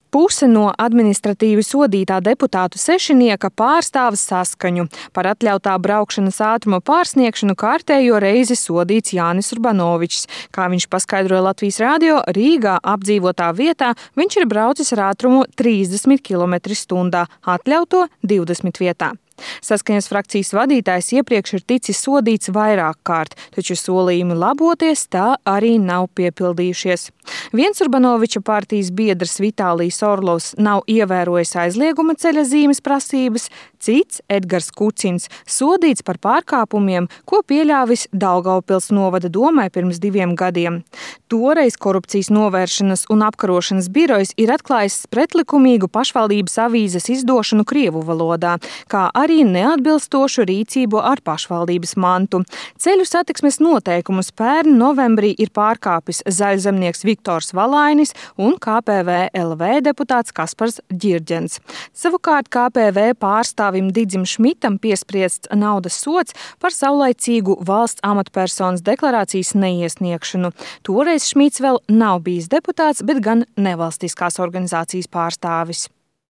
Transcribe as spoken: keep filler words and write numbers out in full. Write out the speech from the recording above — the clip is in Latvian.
Puse no administratīvi sodītā deputātu sešinieka pārstāv Saskaņu. Par atļautā braukšanas ātruma pārsniegšanu kārtējo reizi sodīts Jānis Urbanovičs. Kā viņš paskaidroja Latvijas radio, Rīgā apdzīvotā vietā viņš ir braucis ar ātrumu trīsdesmit kilometri stundā, atļauto divdesmit vietā. Saskaņas frakcijas vadītājs iepriekš ir ticis sodīts vairāk kārt, taču solījumi laboties tā arī nav piepildījušies. Viens Urbanoviča partijas biedrs Vitālijs Orlovs nav ievērojis aizlieguma ceļa zīmes prasības, cits Edgars Kucins sodīts par pārkāpumiem, ko pieļāvis Daugavpils novada domai pirms diviem gadiem. Toreiz Korupcijas novēršanas un apkarošanas birojs ir atklājis pretlikumīgu pašvaldības avīzes izdošanu krievu valodā, kā arī neatbilstošu rīcību ar pašvaldības mantu. Ceļu satiksmes noteikumus pērn novembrī ir pārkāpis zaļzemnieks Viktors Valainis un K P V L V deputāts Kaspars Ģirģens. Savukārt K P V pārstāvim Didzim Šmitam piespriests naudas sods par saulaicīgu valsts amatpersonas deklarācijas neiesniegšanu. Toreiz Šmits vēl nav bijis deputāts, bet gan nevalstiskās organizācijas pārstāvis.